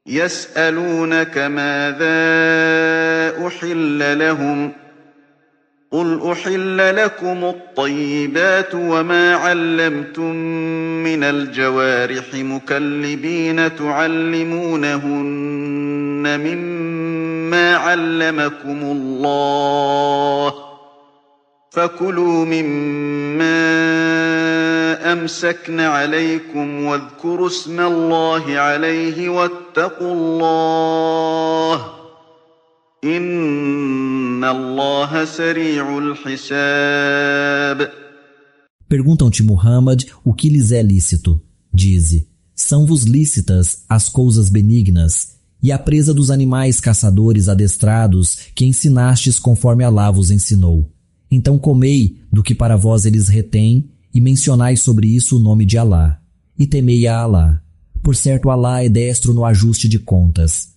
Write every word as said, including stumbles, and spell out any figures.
يسألونك ماذا أحل لهم قل أحل لكم الطيبات وما علمتم من الجوارح مكلبين تعلمونهن مما علمكم الله فكلوا مما أمسكن عليكم واذكروا اسم الله عليه واتقوا الله إن الله سريع الحساب. Perguntam-te, Muhammad, o que lhes é lícito. Dize, são-vos lícitas as coisas benignas e a presa dos animais caçadores adestrados que ensinastes conforme Alá vos ensinou. Então comei do que para vós eles retêm e mencionai sobre isso o nome de Alá. E temei a Alá. Por certo, Alá é destro no ajuste de contas.